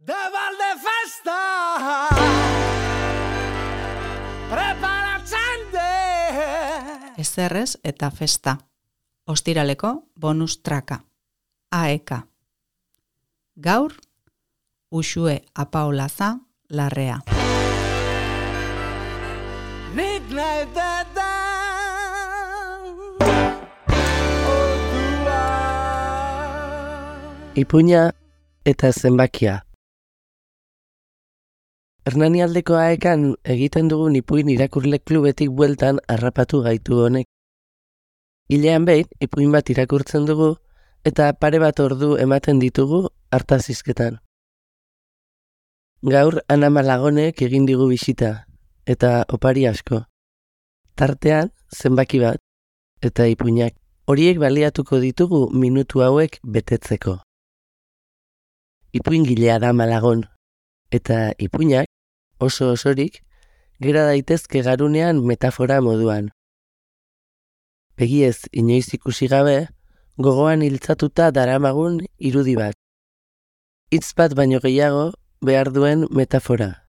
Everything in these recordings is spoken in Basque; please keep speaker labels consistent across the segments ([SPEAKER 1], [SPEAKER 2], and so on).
[SPEAKER 1] De Valdefesta preparatzen de
[SPEAKER 2] Ezerrez eta festa. Ostiraleko bonus traka. AEK. Gaur, Uxue Apaolaza Larrea.
[SPEAKER 1] Nik nahi
[SPEAKER 3] Ipuina eta zenbakia. Hernanialdeko AEKan egiten dugun ipuin irakurle klubetik bueltan harrapatu gaitu honek. Hilean behin, ipuin bat irakurtzen dugu eta pare bat ordu ematen ditugu hartazizketan. Gaur Ana Malagonek egin digu bisita eta opari asko. Tartean zenbaki bat eta ipuinak. Horiek baliatuko ditugu minutu hauek betetzeko. Ipuingilea da Malagon, eta ipuinak, oso osorik, gera daitezke garunean metafora moduan. Begiez inoiz ikusi gabe, gogoan hiltzatuta daramagun irudi bat. Hitz bat baino gehiago behar duen metafora.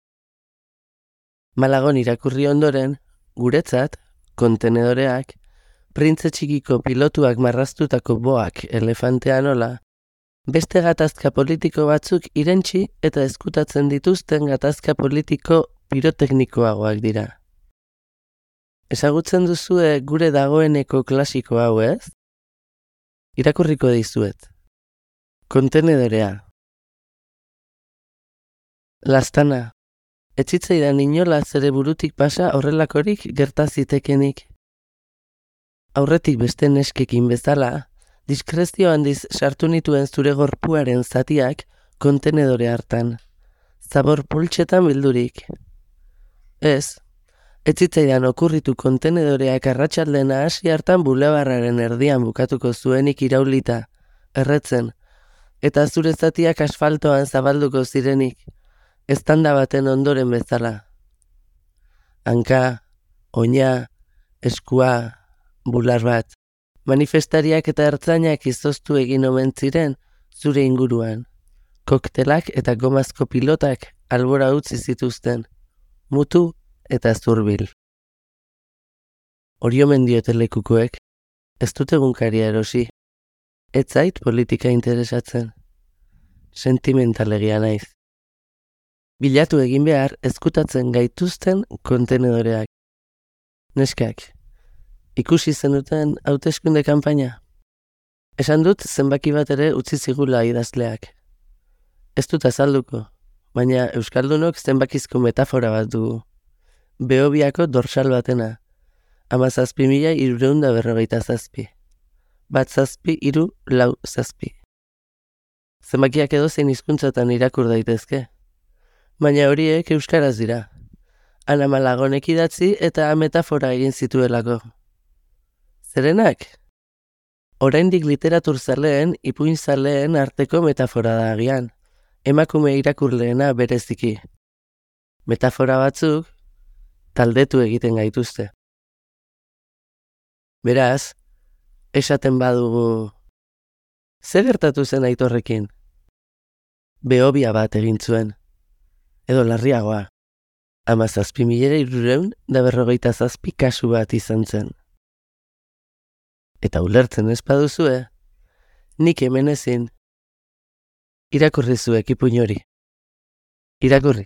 [SPEAKER 3] Malagon irakurri ondoren, guretzat, kontenedoreak, printze txikiko pilotuak marraztutako boak elefantean ola, beste gatazka politiko batzuk irentsi eta ezkutatzen dituzten gatazka politiko piroteknikoagoak dira. Ezagutzen duzue gure dagoeneko klasiko hau ez? Irakurriko dizuet. Kontenedorea. Lastana. Etzitzaidan inola zere burutik pasa horrelakorik gerta zitekenik. Aurretik beste neskekin bezala, diskrezio handiz sartu nituen zure gorpuaren zatiak kontenedore hartan. Zabor pultsetan bildurik. Ez zitzaidan okurritu kontenedoreak arratsaldena hasi hartan bulebarraren erdian bukatuko zuenik iraulita, erretzen, eta zure zatiak asfaltoan zabalduko zirenik, eztanda baten ondoren bezala. Hanka, oina, eskua, bular bat. Manifestariak eta ertzainak izoztu egin omen ziren zure inguruan. Koktelak eta gomazko pilotak albora utzi zituzten, mutu eta zurbil. Hori omen diote lekukoek, ez dut egunkaria erosi. Ez zait politika interesatzen. Sentimentalegia naiz. Bilatu egin behar ezkutatzen gaituzten kontenedoreak. Neskak. Ikusi zenuten hauteskunde kanpaina. Esan dut zenbaki bat ere utzi zigula idazleak. Ez dut azalduko, baina euskaldunok zenbakizko metafora bat dugu. Behobiako dorsal batena. 17.347. 1-0-4-6. Zenbakiak edozein hizkuntzatan irakur daitezke. Baina horiek euskaraz dira. Ana Malagonek idatzi eta metafora egin zituelako. Zerenak? Oraindik literatur zaleen, ipuin zaleen arteko metafora da agian. Emakume irakurleena bereziki. Metafora batzuk taldetu egiten gaituzte. Beraz, esaten badugu, ze gertatu zen Aitorrekin? Behobia bat egin zuen. Edo larriagoa. 17.347 kasu bat izan zen. Eta ulertzen ez baduzue, nik hemen ezin. Irakurri zuek ipuin hori. Irakurri.